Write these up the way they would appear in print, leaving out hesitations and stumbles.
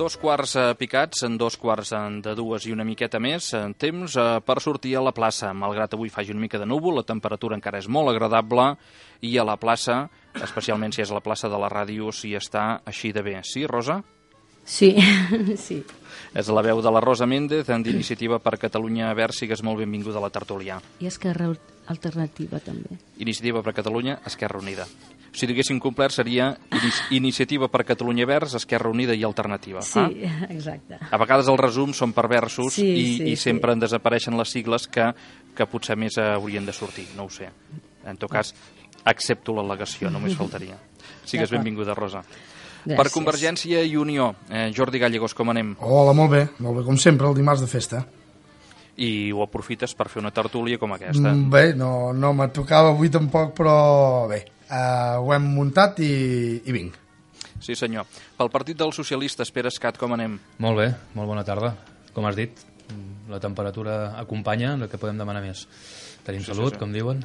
2 quarts picats, en 2 quarts de 2 i una miqueta més, temps per sortir a la plaça. Malgrat avui faci una mica de núvol, la temperatura encara és molt agradable i a la plaça, especialment si és la plaça de la ràdio, s'hi està així de bé. Sí, Rosa? Sí, sí. És la veu de la Rosa Méndez, d'Iniciativa per Catalunya Verds, sigues molt benvinguda a la tertúlia. I Esquerra Alternativa, també. Iniciativa per Catalunya, Esquerra Unida. Si diguéssim complet seria Iniciativa per Catalunya Verds, Esquerra Unida i Alternativa. Sí, exacte. A vegades els resums són perversos i sempre en desapareixen les sigles que potser més haurien de sortir, no ho sé. En tot cas, accepto l'al·legació, només faltaria. Sigues benvinguda, Rosa. Gràcies. Per Convergència i Unió, Jordi Gallegos, com anem? Hola, molt bé, com sempre, el dimarts de festa. I ho aprofites per fer una tertúlia com aquesta? Bé, no me tocava avui tampoc, però bé, ho hem muntat i vinc. Sí, senyor. Pel Partit dels Socialistes, Pere Escat, com anem? Molt bé, molt bona tarda. Com has dit, la temperatura acompanya, el que podem demanar més. Tenim salut, com diuen.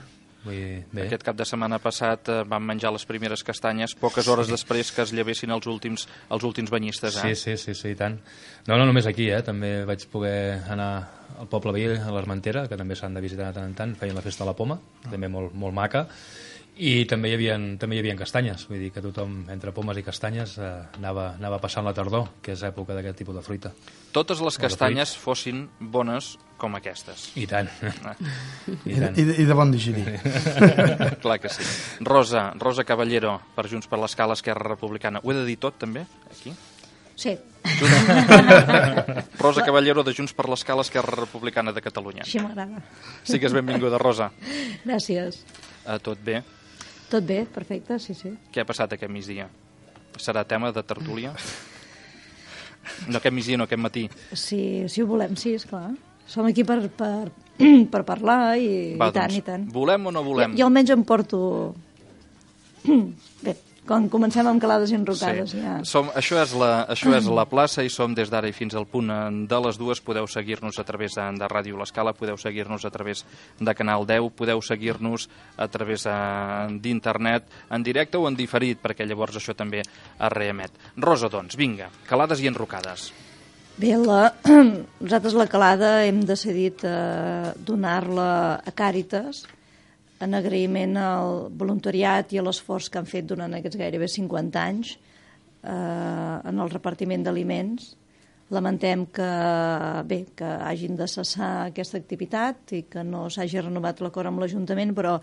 Bé. Aquest cap de setmana passat vam menjar les primeres castanyes poques hores després que es llevessin els últims banyistes. Sí, i tant. No només aquí, també vaig poder anar al poble veí, a l'Armentera, que també s'han de visitar de tant en tant, feien la festa de la poma, també molt maca, i també hi havia castanyes, vull dir que tothom, entre pomes i castanyes, anava passant la tardor, que és època d'aquest tipus de fruita. Totes les castanyes fossin bones com aquestes. I tant. I de bon digerir. Clar que sí. Rosa Caballero, per Junts per l'Escala, Esquerra Republicana. Ho he de dir tot, també, aquí? Sí. Rosa Caballero, de Junts per l'Escala, Esquerra Republicana de Catalunya. Així m'agrada. Sigues benvinguda, Rosa. Gràcies. Tot bé? Tot bé, perfecte, sí. Què ha passat aquest migdia? Serà tema de tertúlia? No aquest migdia, no aquest matí. Sí, si ho volem, sí, esclar. Som aquí per parlar i tant. Volem o no volem? Jo almenys em porto... Bé, quan comencem amb calades i enrocades. Sí. Ja. Això és la plaça i som des d'ara i fins al punt de les 2. Podeu seguir-nos a través de Ràdio L'Escala, podeu seguir-nos a través de Canal 10, podeu seguir-nos a través d'internet, en directe o en diferit, perquè llavors això també es reemet. Rosa, doncs, vinga, calades i enrocades. Bé, nosaltres la calada hem decidit donar-la a Càritas, en agraïment al voluntariat i a l'esforç que han fet durant aquests gairebé 50 anys en el repartiment d'aliments. Lamentem que hagin de cessar aquesta activitat i que no s'hagi renovat l'acord amb l'Ajuntament, però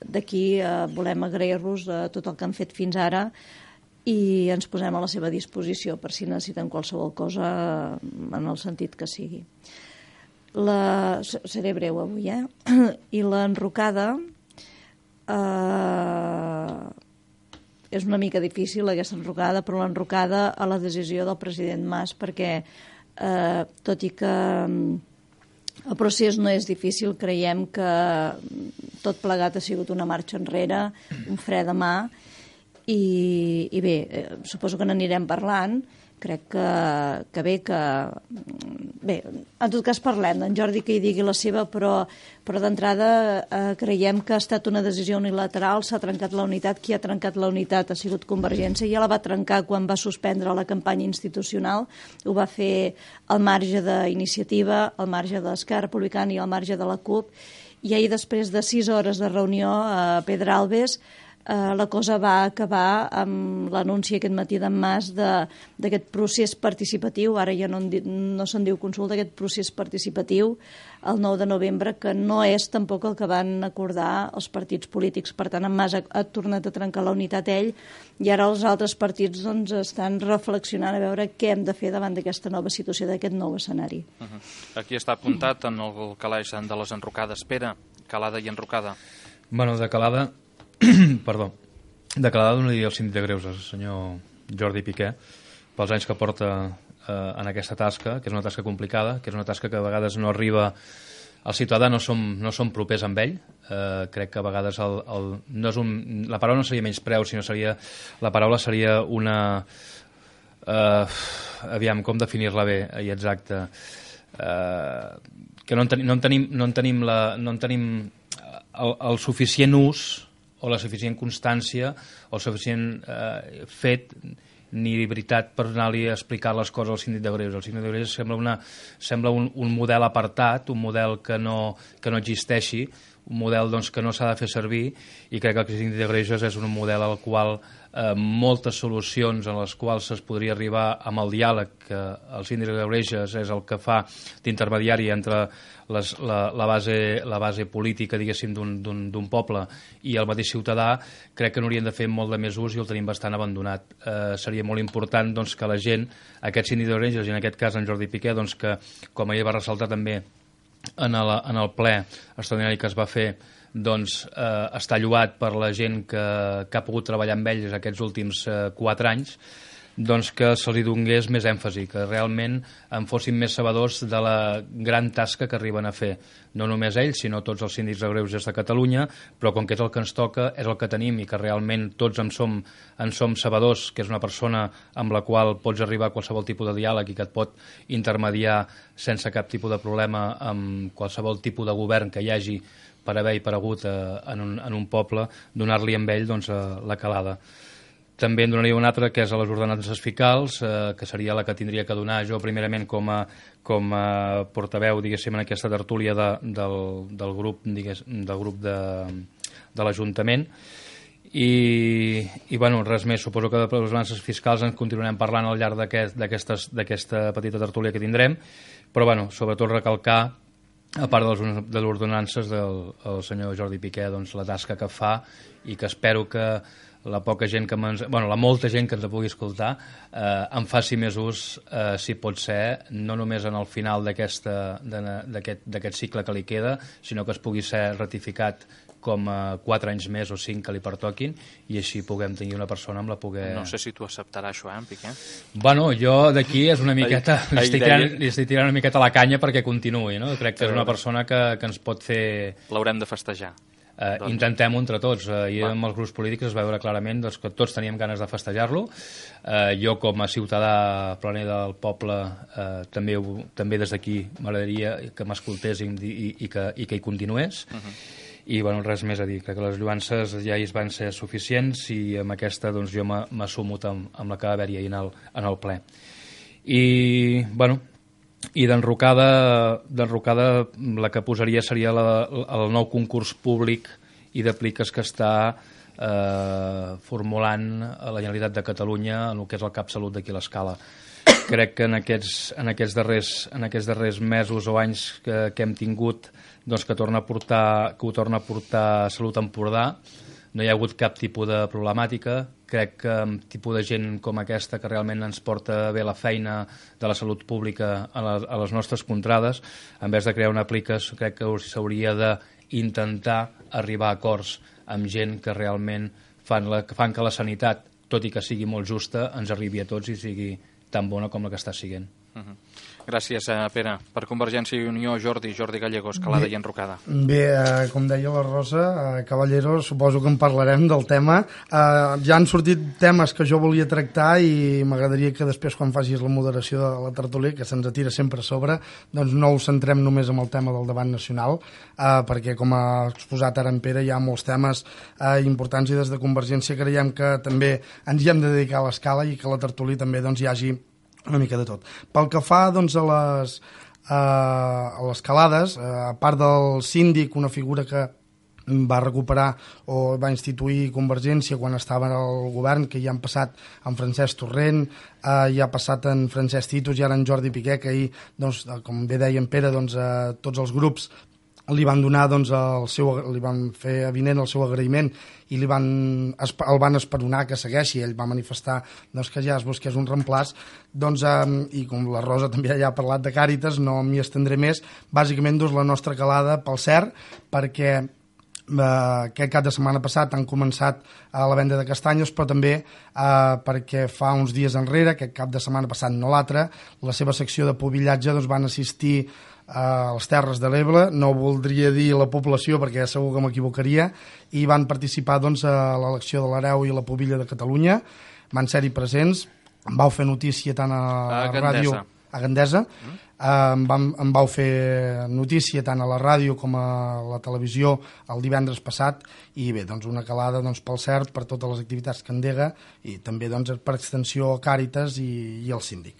d'aquí volem agrair-los tot el que han fet fins ara i ens posem a la seva disposició per si necessiten qualsevol cosa en el sentit que sigui. Seré breu avui, I l'enrocada és una mica difícil, aquesta enrocada, però l'enrocada a la decisió del president Mas, perquè tot i que el procés no és difícil, creiem que tot plegat ha sigut una marxa enrere, un fre de mà, i bé, suposo que n'anirem parlant. Crec que bé, en tot cas parlem, en Jordi que hi digui la seva, però d'entrada creiem que ha estat una decisió unilateral, s'ha trencat la unitat, qui ha trencat la unitat ha sigut Convergència, ja la va trencar quan va suspendre la campanya institucional, ho va fer al marge d'Iniciativa, al marge d'Esquerra Republicana i al marge de la CUP, i ahir després de 6 hores de reunió a Pedralbes, la cosa va acabar amb l'anunci aquest matí d'en Mas d'aquest procés participatiu, ara ja no se'n diu consulta, aquest procés participatiu el 9 de novembre, que no és tampoc el que van acordar els partits polítics. Per tant, en Mas ha tornat a trencar la unitat ell, i ara els altres partits estan reflexionant a veure què hem de fer davant d'aquesta nova situació, d'aquest nou escenari. Aquí està apuntat en el calaix de les enrocades. Pere, calada i enrocada. Bueno, de calada... Perdó. De calada donaria el síndic de Greuges, el senyor Jordi Piqué, pels anys que porta en aquesta tasca, que és una tasca complicada, que és una tasca que a vegades no arriba al ciutadà, no som propers amb ell. Crec que a vegades no és la paraula no seria menyspreu, sinó la paraula seria una... aviam, com definir-la bé i exacta? Que no en tenim el suficient ús o la suficient constància o el suficient fet ni veritat per anar-li a explicar les coses al síndic de Greuges. El síndic de Greuges sembla un model apartat, un model que no existeixi, un model doncs, que no s'ha de fer servir, i crec que el síndic de Greuges és un model al qual moltes solucions en les quals es podria arribar amb el diàleg, que el síndic de Greuges és el que fa d'intermediari entre la base política, diguéssim, d'un poble i el mateix ciutadà. Crec que n'haurien de fer molt de més ús i el tenim bastant abandonat. Seria molt important doncs, que la gent, aquest síndic de Greuges, i en aquest cas en Jordi Piqué, doncs, que com ahir va ressaltar també en el ple extraordinari que es va fer, doncs està lloat per la gent que ha pogut treballar amb ells aquests últims 4 anys, doncs que se li donés més èmfasi, que realment en fossin més sabedors de la gran tasca que arriben a fer. No només ells, sinó tots els síndics de Greuges de Catalunya, però com que és el que ens toca, és el que tenim i que realment tots en som sabedors, que és una persona amb la qual pots arribar a qualsevol tipus de diàleg i que et pot intermediar sense cap tipus de problema amb qualsevol tipus de govern que hi hagi per haver i per hagut en un poble, donar-li amb ell doncs, la calada. També en donaria una altra, que és a les ordenances fiscals, que seria la que tindria que donar jo primerament com a portaveu, diguéssim, en aquesta tertúlia del grup de l'Ajuntament. I bueno, res més, suposo que de les ordenances fiscals en continuarem parlant al llarg d'aquesta petita tertúlia que tindrem, però bueno, sobretot recalcar, a part de les ordenances del senyor Jordi Piqué, doncs, la tasca que fa, i que espero que la molta gent que ens pugui escoltar en faci més ús, si pot ser, no només en el final d'aquest cicle que li queda, sinó que es pugui ser ratificat com a 4 anys més o 5 que li pertoquin, i així puguem tenir una persona amb la poder... No sé si tu acceptaràs això, en Piqué? Bueno, jo d'aquí és una miqueta... li estic tirant una miqueta la canya perquè continuï, no? Crec que és una persona que ens pot fer... L'haurem de festejar. Intentem-ho entre tots. Ahir amb els grups polítics es va veure clarament doncs, que tots teníem ganes de festejar-lo. Jo com a ciutadà planer del poble també des d'aquí m'agradaria que m'escoltés i que hi continués. I bueno, res més a dir, crec que les lluances ja hi van ser suficients, i amb aquesta doncs, jo m'assumo amb la que va haver-hi ahir en el ple. I bueno, i d'enrocada la que posaria seria el nou concurs públic i d'apliques que està formulant a la Generalitat de Catalunya en el que és el CapSalut d'aquí a l'Escala. Crec que en aquests darrers mesos o anys que hem tingut, doncs, que ho torna a portar Salut Empordà, no hi ha hagut cap tipus de problemàtica. Crec que amb tipus de gent com aquesta, que realment ens porta bé la feina de la salut pública a les nostres contrades, en vez de crear una aplicació, crec que s'hauria d'intentar arribar a acords amb gent que realment fan que la sanitat, tot i que sigui molt justa, ens arribi a tots i sigui tan bona com la que està siguent. Gràcies, Pere. Per Convergència i Unió, Jordi Gallegos, Calada i Enrocada. Bé, com deia la Rosa, Caballero, suposo que en parlarem del tema. Ja han sortit temes que jo volia tractar i m'agradaria que després, quan facis la moderació de la tertúlia, que se'ns atira sempre a sobre, doncs no ho centrem només en el tema del debat nacional, perquè, com ha exposat ara en Pere, hi ha molts temes importants, i des de Convergència creiem que també ens hi hem de dedicar a l'escala i que la tertúlia també doncs, hi hagi una mica de tot. Pel que fa doncs, a les calades, a part del síndic, una figura que va recuperar o va instituir Convergència quan estava al govern, que ja han passat en Francesc Torrent, ja ha passat en Francesc Titus i ara en Jordi Piqué, que ahir, doncs, com bé deia en Pere, doncs, tots els grups li van donar, doncs, li van fer avinent el seu agraïment i el van esperonar que segueixi. Ell va manifestar doncs, que ja es busqués un reemplaç, doncs, i com la Rosa també ja ha parlat de Càritas, no m'hi estendré més. Bàsicament, doncs, la nostra calada pel cert, perquè aquest cap de setmana passat han començat la venda de castanyes, però també perquè fa uns dies enrere, aquest cap de setmana passat no l'altre, la seva secció de pobillatge doncs, van assistir a les Terres de l'Ebre, no voldria dir la població perquè segur que m'equivocaria, i van participar doncs, a l'elecció de l'hereu i la pubilla de Catalunya, van ser-hi presents, vau fer notícia tant a ràdio a Gandesa. Em vau fer notícia tant a la ràdio com a la televisió el divendres passat, i bé, doncs una calada pel CERT, per totes les activitats que endega, i també doncs, per extensió a Càritas i el síndic.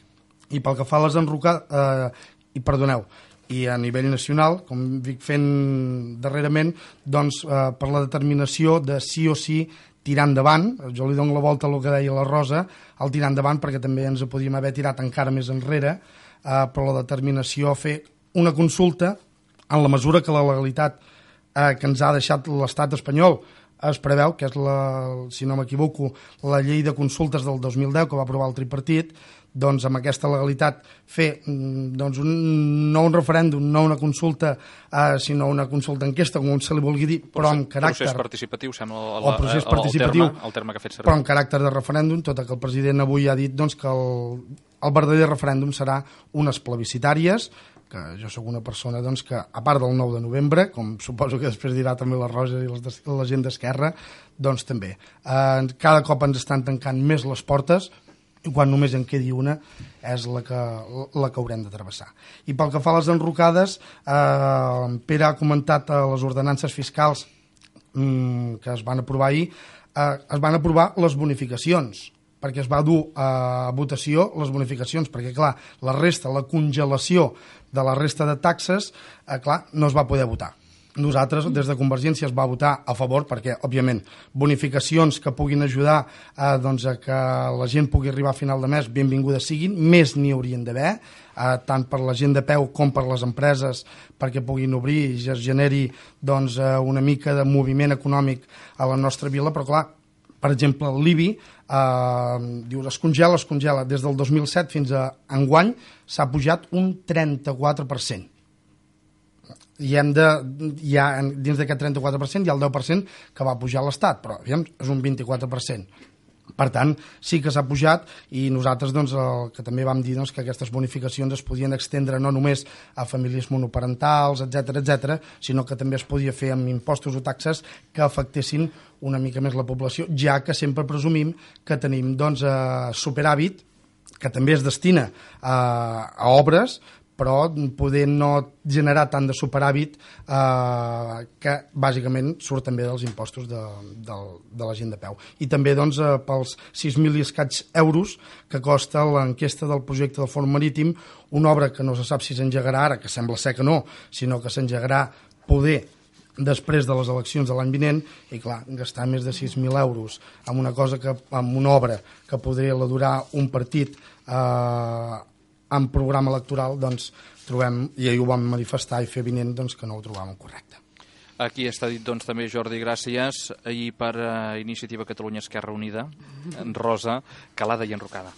I pel que fa a les enrocades, i a nivell nacional, com dic fent darrerament, doncs per la determinació de sí o sí tirar endavant, jo li dono la volta al que deia la Rosa, el tirar endavant, perquè també ens podíem haver tirat encara més enrere, però la determinació a fer una consulta en la mesura que la legalitat que ens ha deixat l'estat espanyol es preveu, que és, si no m'equivoco, la llei de consultes del 2010 que va aprovar el tripartit, doncs amb aquesta legalitat fer doncs, no un referèndum, no una consulta, sinó una consulta enquesta, com se li vulgui dir, però amb caràcter... Procés participatiu, sembla el terme que ha fet servir. Però amb caràcter de referèndum, tot que el president avui ha dit doncs, que el verdader referèndum serà unes plebiscitàries, que jo sóc una persona doncs, que, a part del 9 de novembre, com suposo que després dirà també la Rosa i la gent d'Esquerra, doncs també. Cada cop ens estan tancant més les portes, i quan només en quedi una és la que haurem de travessar. I pel que fa a les enrocades, Pere ha comentat les ordenances fiscals que es van aprovar ahir, es van aprovar les bonificacions, perquè es va dur a votació les bonificacions, perquè, clar, la resta, la congelació de la resta de taxes, clar, no es va poder votar. Nosaltres, des de Convergència, es va votar a favor perquè, òbviament, bonificacions que puguin ajudar doncs, a que la gent pugui arribar a final de mes, benvingudes siguin, més n'hi haurien d'haver, tant per la gent de peu com per les empreses, perquè puguin obrir i es generi doncs, una mica de moviment econòmic a la nostra vila, però clar, per exemple, l'IBI diu, es congela, des del 2007 fins a enguany s'ha pujat un 34%. I dins d'aquest 34% hi ha el 10% que va pujar l'Estat, però és un 24%. Per tant, sí que s'ha pujat, i nosaltres doncs, el que també vam dir doncs, que aquestes bonificacions es podien extendre no només a famílies monoparentals, etc, sinó que també es podia fer amb impostos o taxes que afectessin una mica més la població, ja que sempre presumim que tenim doncs, superàvit, que també es destina a obres, però poder no generar tant de superàvit que bàsicament surt també dels impostos de la gent de peu. I també doncs, pels 6.000 i escaig euros que costa l'enquesta del projecte del Fòrum Marítim, una obra que no se sap si s'engegarà ara, que sembla ser que no, sinó que s'engegarà poder després de les eleccions de l'any vinent, i clar, gastar més de 6.000 euros en una cosa en una obra que podria durar un partit en programa electoral, doncs trobem, i ahir ho vam manifestar i fer vinent, doncs que no ho trobàvem correcte. Aquí està dit doncs també, Jordi, gràcies, i per Iniciativa Catalunya Esquerra Unida, Rosa, calada i enrocada.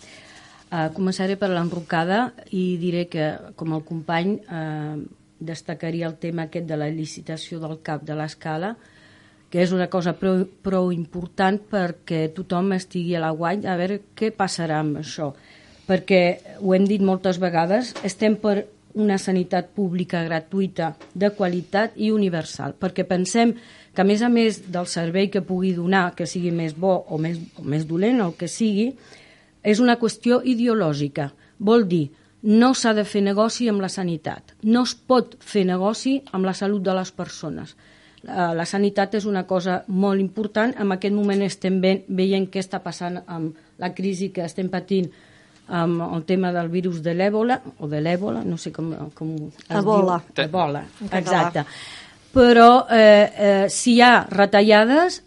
Començaré per l'enrocada i diré que, com el company, destacaria el tema aquest de la licitació del CAP de l'Escala, que és una cosa prou important perquè tothom estigui a l'aguait a veure què passarà amb això. Perquè, ho hem dit moltes vegades, estem per una sanitat pública gratuïta, de qualitat i universal, perquè pensem que, a més del servei que pugui donar, que sigui més bo o més dolent, el que sigui, és una qüestió ideològica. Vol dir, no s'ha de fer negoci amb la sanitat, no es pot fer negoci amb la salut de les persones. La sanitat és una cosa molt important. En aquest moment estem veient què està passant amb la crisi que estem patint amb el tema del virus de l'èbola, no sé com es Ebola. diu. Ebola, exacte. Però si hi ha retallades,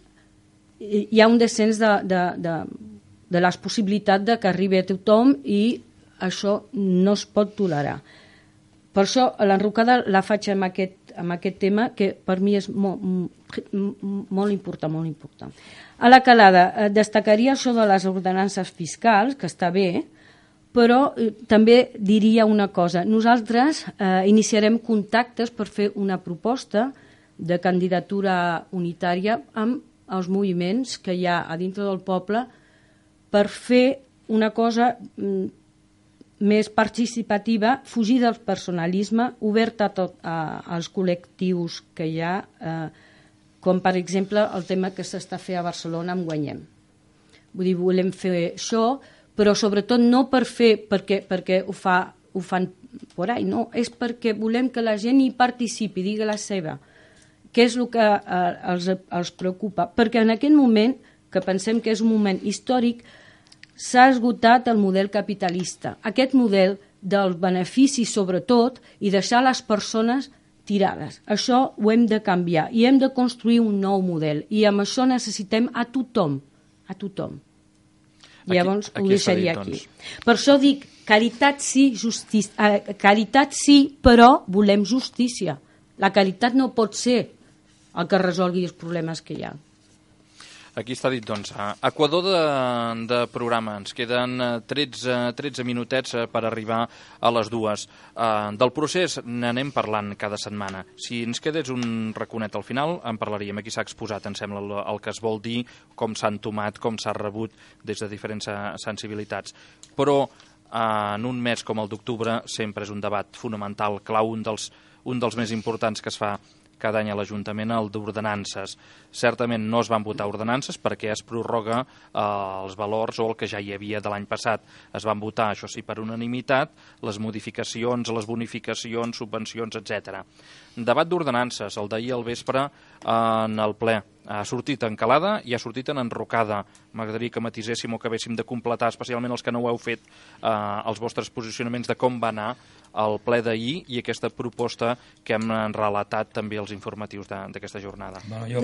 hi ha un descens de les possibilitats de que arribi a tothom, i això no es pot tolerar. Per això l'enrocada la faig amb aquest tema, que per mi és molt important. A la calada destacaria això de les ordenances fiscals, que està bé, però també diria una cosa. Nosaltres iniciarem contactes per fer una proposta de candidatura unitària amb els moviments que hi ha a dintre del poble per fer una cosa més participativa, fugir del personalisme, oberta als col·lectius que hi ha, com per exemple el tema que s'està fent a Barcelona amb Guanyem. Vull dir, volem fer això, però sobretot no per fer perquè ho fa ho fan por ahí, no, és perquè volem que la gent hi participi, digui la seva, què és el que els preocupa, perquè en aquest moment, que pensem que és un moment històric, s'ha esgotat el model capitalista, aquest model del benefici sobretot i deixar les persones tirades. Això ho hem de canviar i hem de construir un nou model i amb això necessitem a tothom, a tothom. Llavors ho deixaria aquí. Per això dic, caritat sí, caritat sí, però volem justícia. La caritat no pot ser el que resolgui els problemes que hi ha. Aquí està dit, doncs, equador de programa. Ens queden 13 minutets per arribar a les 2. Del procés n'anem parlant cada setmana. Si ens quedés un raconet al final, en parlaríem. Aquí s'ha exposat, em sembla, el que es vol dir, com s'ha entomat, com s'ha rebut des de diferents sensibilitats. Però en un mes com el d'octubre sempre és un debat fonamental, clau, un dels més importants que es fa cada any a l'Ajuntament, el d'ordenances. Certament no es van votar ordenances perquè es prorroga els valors o el que ja hi havia de l'any passat. Es van votar, això sí, per unanimitat, les modificacions, les bonificacions, subvencions, etc. Debat d'ordenances, el d'ahir al vespre en el ple. Ha sortit en calada i ha sortit en enrocada. M'agradaria que matiséssim o que haguéssim de completar, especialment els que no ho heu fet, els vostres posicionaments de com va anar el ple d'ahir i aquesta proposta que hem relatat també als informatius d'aquesta jornada. Bueno, jo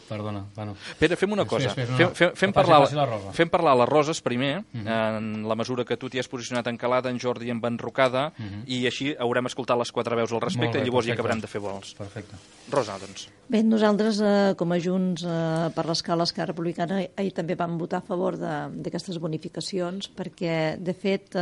Perdona. Bueno. Pere, fem una cosa. Fem parlar les Roses primer, en la mesura que tu t'hi has posicionat en calada, en Jordi en enrocada, i així haurem escoltat les 4 veus al respecte i llavors ja acabarem de fer vols. Perfecte. Rosa, doncs. Bé, nosaltres, com a Junts per l'Escala Esquerra Republicana, ahir també vam votar a favor d'aquestes bonificacions, perquè, de fet,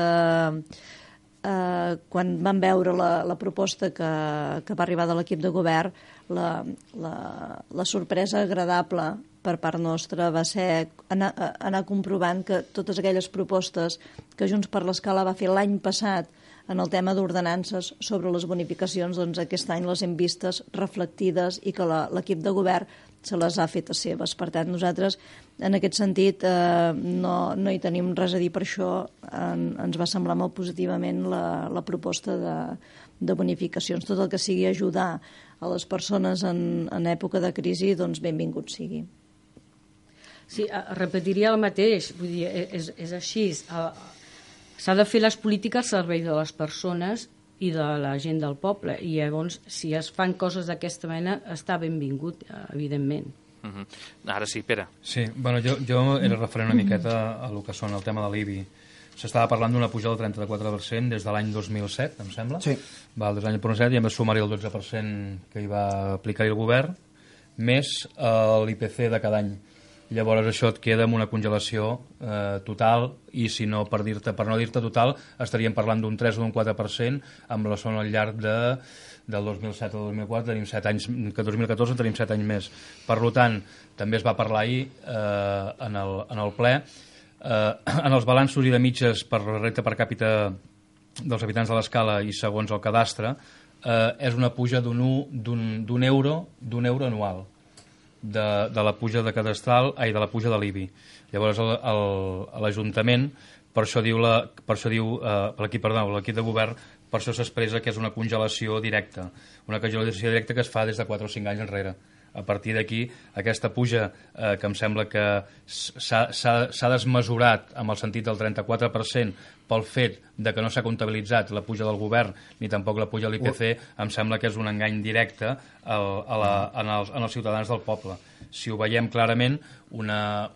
quan vam veure la proposta que va arribar de l'equip de govern, la sorpresa agradable per part nostra va ser anar comprovant que totes aquelles propostes que Junts per l'Escala va fer l'any passat en el tema d'ordenances sobre les bonificacions, doncs aquest any les hem vistes reflectides i que l'equip de govern se les ha fet a seves. Per tant, nosaltres, en aquest sentit, no hi tenim res a dir. Per això ens va semblar molt positivament la proposta de bonificacions. Tot el que sigui ajudar a les persones en època de crisi, doncs benvingut sigui. Sí, repetiria el mateix. Vull dir, és així. S'ha de fer les polítiques al servei de les persones i de la gent del poble, i llavors si es fan coses d'aquesta mena està benvingut, evidentment. Ara sí, Pere. Sí, bueno, jo era referent una miqueta a el que són el tema de l'IBI. S'estava parlant d'una pujada del 34% des de l'any 2007, em sembla. Sí. Des de l'any 2007 i a més sumar-hi el 12% que hi va aplicar el govern, més l'IPC de cada any. Llavors això et queda amb una congelació total, i si no, per no dir-te total, estaríem parlant d'un 3 o d'un 4% amb la zona al llarg del 2007 al 2004, tenim 7 anys, que 2014 tenim 7 anys més. Per tant, també es va parlar ahir en el ple, en els balanços i de mitges per renda per càpita dels habitants de l'Escala i segons el cadastre, és una puja d'un euro anual de la puja de cadastral, de la puja de l'IBI. Llavors l'Ajuntament, per això diu l'equip de govern, per això s'expressa que és una congelació directa, una congelació directa que es fa des de 4 o 5 anys enrere. A partir d'aquí, aquesta puja que em sembla que s'ha desmesurat amb el sentit del 34% pel fet de que no s'ha comptabilitzat la puja del govern ni tampoc la puja de l'IPC, em sembla que és un engany directe en els ciutadans del poble. Si ho veiem clarament, una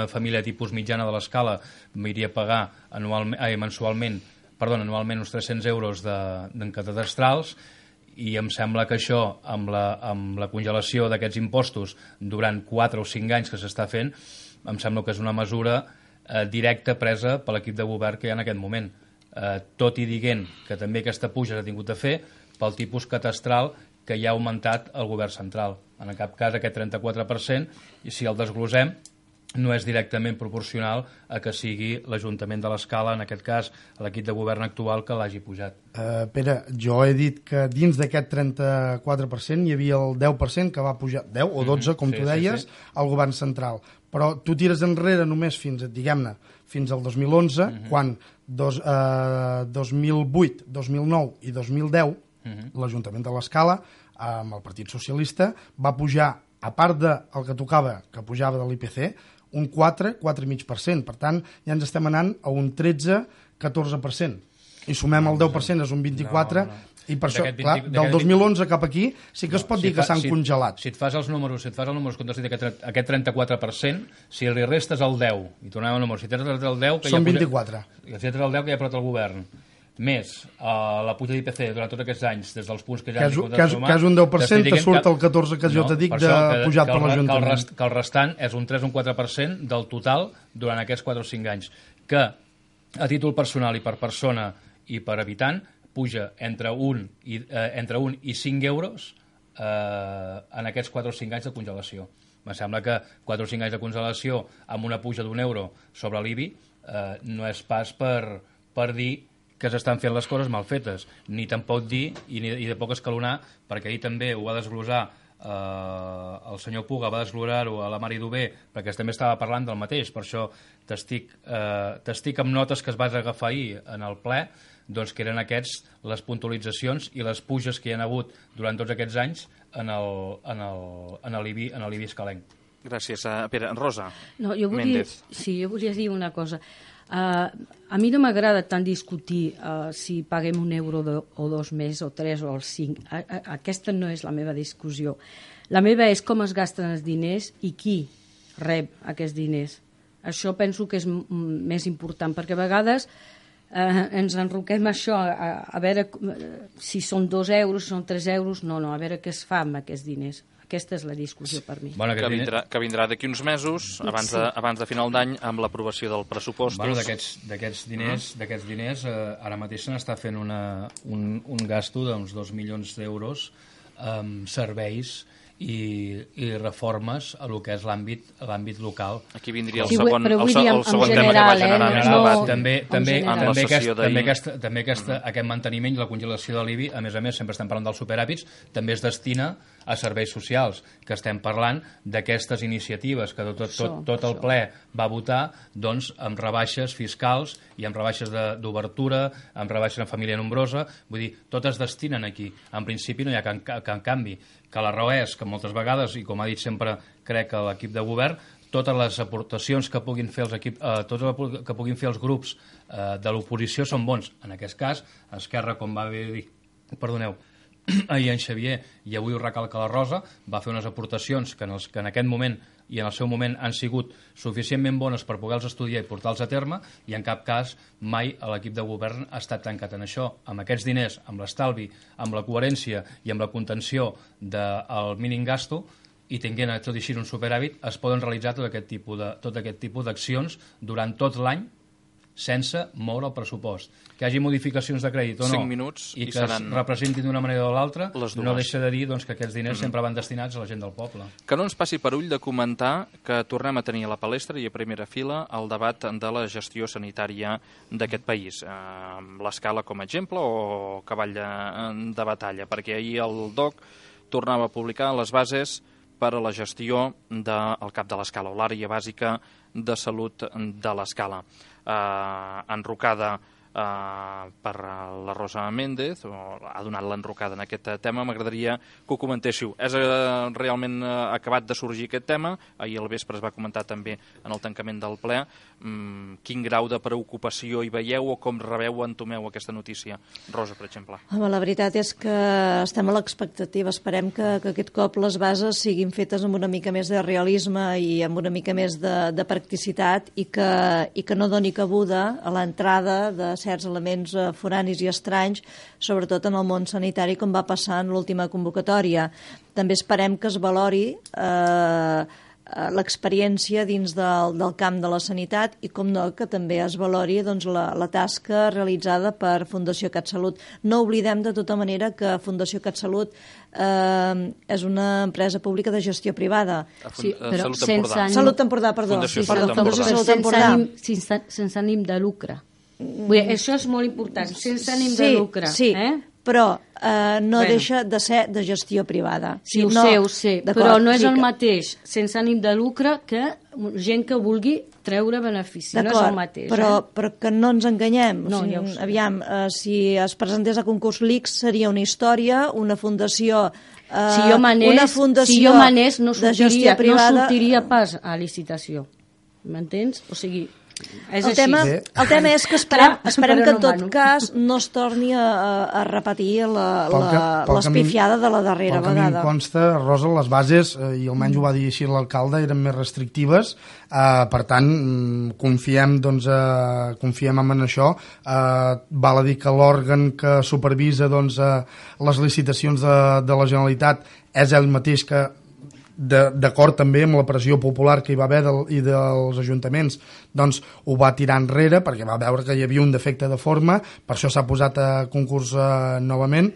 família tipus mitjana de l'Escala iria a pagar mensualment uns 300 euros en cadastrals, i em sembla que això, amb la congelació d'aquests impostos durant 4 o 5 anys que s'està fent, em sembla que és una mesura directa presa per l'equip de govern que hi ha en aquest moment. Tot i dient que també aquesta puja s'ha tingut a fer pel tipus catastral que ja ha augmentat el govern central. En cap cas aquest 34%, i si el desglosem, no és directament proporcional a que sigui l'Ajuntament de l'Escala, en aquest cas l'equip de govern actual, que l'hagi pujat. Pere, jo he dit que dins d'aquest 34% hi havia el 10% que va pujar, 10 o 12, com tu deies, al govern central. Però tu tires enrere només fins, diguem-ne, fins al 2011, quan 2008, 2009 i 2010 l'Ajuntament de l'Escala, amb el Partit Socialista, va pujar, a part del que tocava, que pujava de l'IPC, un 4,5%. Per tant, ja ens estem anant a un 13-14%. I sumem el 10%, és un 24%, i per això, clar, del 2011 cap aquí sí que es pot dir que s'han congelat. Si et fas els números, com t'has dit, aquest 34%, si li restes el 10, i tornem al número, si tens el 10... Són 24. Si tens el 10 que ja ha posat el govern, més la puja d'IPC durant tots aquests anys, des dels punts que ja... Que és un 10%, te surt el 14% que jo te dic de pujat per l'Ajuntament. Que el restant és un 3 o un 4% del total durant aquests 4 o 5 anys, que a títol personal i per persona i per habitant puja entre 1 i 5 euros en aquests 4 o 5 anys de congelació. Em sembla que 4 o 5 anys de congelació amb una puja d'1 euro sobre l'IBI no és pas per dir que s'estan fent les coses mal fetes, ni tampoc dir, i de poc escalonar, perquè ahir també ho va desglosar el senyor Puga, va desglosar-ho a la Mari Dubé, perquè també estava parlant del mateix, per això t'estic amb notes que es vas agafar ahir en el ple, doncs que eren les puntualitzacions i les puges que hi ha hagut durant tots aquests anys en l'IBI escalenc. Gràcies, Pere. Rosa Méndez. Jo volia dir una cosa. A mi no m'agrada tant discutir si paguem €1 o 2 més o 3 o 5. Aquesta no és la meva discussió. La meva és com es gasten els diners i qui rep aquests diners. Això penso que és més important, perquè a vegades ens enroquem això a veure si són 2 euros, si són 3 euros, no, a veure què es fa amb aquests diners. Aquesta és la discussió per mi. Bueno, que vindrà d'aquí uns mesos, abans de final d'any, amb l'aprovació del pressupost. Bueno, d'aquests diners ara mateix se n'està fent un gasto d'uns 2 milions d'euros amb serveis i reformes a lo que és l'àmbit local. Aquí vindria el segon tema que va generar més debat. També aquest manteniment i la congelació de l'IBI, a més, sempre estem parlant dels superàvits, també es destina a serveis socials, que estem parlant d'aquestes iniciatives que tot el ple va votar, doncs, amb rebaixes fiscals i amb rebaixes d'obertura, amb rebaixes en família nombrosa, vull dir, tot es destinen aquí. En principi no hi ha cap canvi, que la raó és que moltes vegades, i com ha dit sempre crec que l'equip de govern, totes les aportacions que puguin fer els grups de l'oposició són bons. En aquest cas, Esquerra, com va dir, ahir en Xavier, i avui ho recalca la Rosa, va fer unes aportacions que en aquest moment i en el seu moment han sigut suficientment bones per poder-los estudiar i portar-los a terme, i en cap cas mai l'equip de govern ha estat tancat en això. Amb aquests diners, amb l'estalvi, amb la coherència i amb la contenció del mínim gasto, i tinguent tot així un superàvit, es poden realitzar tot aquest tipus d'accions durant tot l'any sense moure el pressupost. Que hi hagi modificacions de crèdit o no, 5 minuts i que es representin d'una manera o l'altra, no deixa de dir que aquests diners sempre van destinats a la gent del poble. Que no ens passi per ull de comentar que tornem a tenir a la palestra i a primera fila el debat de la gestió sanitària d'aquest país. Amb l'Escala com a exemple o cavall de batalla, perquè ahir el DOC tornava a publicar les bases per a la gestió del CAP de l'Escala, o l'àrea bàsica de salut de l'Escala. Enrocada per la Rosa Méndez, ha donat l'enrocada en aquest tema. M'agradaria que ho comentéssiu. És realment acabat de sorgir aquest tema, ahir al vespre es va comentar també en el tancament del ple. Quin grau de preocupació hi veieu o com rebeu, entomeu aquesta notícia? Rosa, per exemple. Home, la veritat és que estem a l'expectativa. Esperem que aquest cop les bases siguin fetes amb una mica més de realisme i amb una mica més de practicitat i que no doni cabuda a l'entrada de certs elements foranis i estranys, sobretot en el món sanitari, com va passar en l'última convocatòria. També esperem que es valori l'experiència dins del camp de la sanitat i, com no, que també es valori doncs, la tasca realitzada per Fundació CatSalut. No oblidem de tota manera que Fundació CatSalut és una empresa pública de gestió privada. Sí, però Salut Empordà, perdó. Fundació Salut Empordà. Sense ànim de lucre. Vull dir, això és molt important, sense ànim de lucre. Sí, però no deixa de ser de gestió privada. Sí, ho sé, però no és el mateix sense ànim de lucre que gent que vulgui treure benefici. No és el mateix. Però que no ens enganyem. No, ja ho sé. Aviam, si es presentés a concurs l'ICS seria una història, una fundació... Si jo manés, no sortiria pas a licitació. M'entens? O sigui... El tema és que esperem que en tot cas no es torni a repetir l'espifiada de la darrera vegada. Pel que a mi em consta, Rosa, les bases, i almenys ho va dir així l'alcalde, eren més restrictives, per tant, confiem en això. Val a dir que l'òrgan que supervisa les licitacions de la Generalitat és ell mateix que, d'acord també amb la pressió popular que hi va haver i dels ajuntaments, doncs ho va tirar enrere perquè va veure que hi havia un defecte de forma, per això s'ha posat a concurs novament.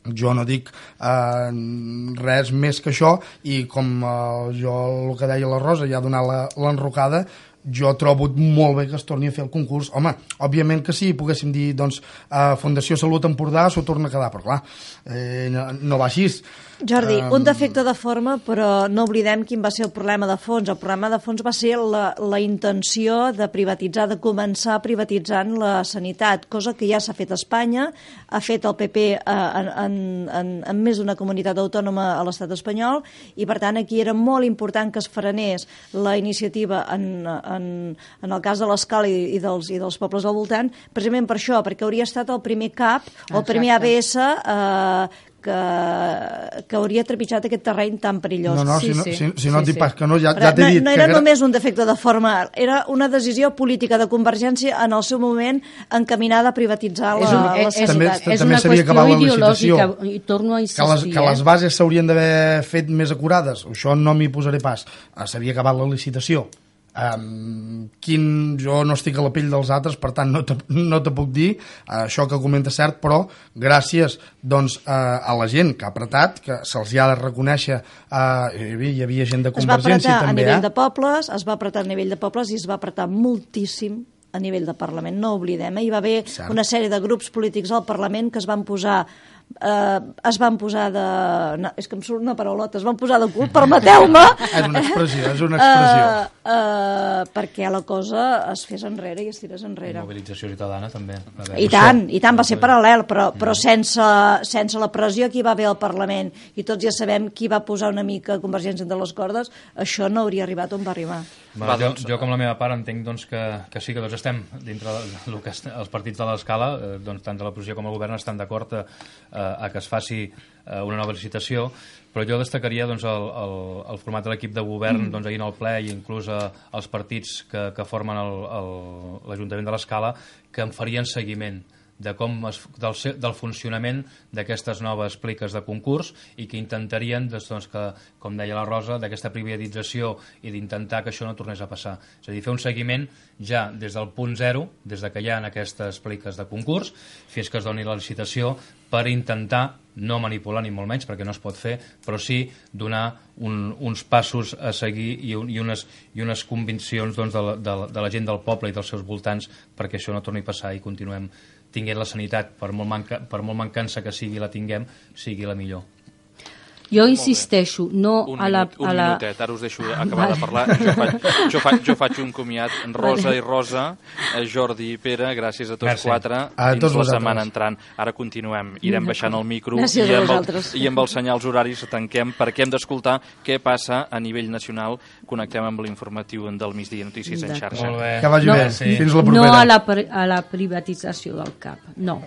Jo no dic res més que això, i com jo el que deia la Rosa, ja donar l'enrocada, jo trobo molt bé que es torni a fer el concurs. Home, òbviament que sí, poguéssim dir, doncs, Fundació Salut Empordà s'ho torna a quedar, però clar, no va així. Jordi, un defecte de forma, però no oblidem quin va ser el problema de fons. El problema de fons va ser la intenció de privatitzar, de començar privatitzant la sanitat, cosa que ja s'ha fet a Espanya, ha fet el PP en més d'una comunitat autònoma a l'estat espanyol, i per tant aquí era molt important que es frenés la iniciativa en el cas de l'Escala i dels pobles al voltant, precisament per això, perquè hauria estat el primer CAP o el primer ABS que hauria trepitjat aquest terreny tan perillós. Si no et dic pas que no, ja t'he dit... No era només un defecte de forma, era una decisió política de Convergència en el seu moment encaminada a privatitzar la sanitat. És una qüestió ideològica, i torno a insistir. Que les bases s'haurien d'haver fet més acurades, això no m'hi posaré pas. S'havia acabat la licitació. Jo no estic a la pell dels altres, per tant no te puc dir això que comenta cert, però gràcies a la gent que ha apretat, que se'ls ha de reconèixer, hi havia gent de Convergència també. Es va apretar a nivell de pobles, es va apretar a nivell de pobles i es va apretar moltíssim a nivell de Parlament, no oblidem. Hi va haver una sèrie de grups polítics al Parlament que es van posar de... No, és que em surt una paraulota, es van posar de cul, permeteu-me! És una expressió. Perquè la cosa es fes enrere i es tirés enrere. I mobilització ciutadana també. I tant, va ser paral·lel, però sense la pressió que hi va haver al Parlament, i tots ja sabem qui va posar una mica Convergència entre les cordes, això no hauria arribat on va arribar. Jo com la meva part entenc que sí, que estem dintre del que els partits de l'Escala, tant de l'oposició com el govern estan d'acord a que es faci una nova licitació, però jo destacaria el format de l'equip de govern ahir en el ple, i inclús els partits que formen l'Ajuntament de l'Escala, que en farien seguiment del funcionament d'aquestes noves pliques de concurs, i que intentarien, que, com deia la Rosa, d'aquesta privatització i d'intentar que això no tornés a passar. És a dir, fer un seguiment ja des del punt zero, des que hi ha aquestes pliques de concurs, fins que es doni la licitació, per intentar no manipular ni molt menys, perquè no es pot fer, però sí donar uns passos a seguir i unes conviccions de la gent del poble i dels seus voltants, perquè això no torni a passar i continuem tinguent la sanitat, per molt mancança que sigui la tinguem, sigui la millor. Jo insisteixo, no a la... Un minutet, ara us deixo acabar de parlar. Jo faig un comiat. Rosa i Rosa, Jordi i Pere, gràcies a tots quatre, dins la setmana entrant. Ara continuem, irem baixant el micro i amb els senyals horaris tanquem, perquè hem d'escoltar què passa a nivell nacional. Connectem amb l'informatiu del migdia, Notícies en xarxa. Que vagi bé, fins la propera. No a la privatització del CAP, no.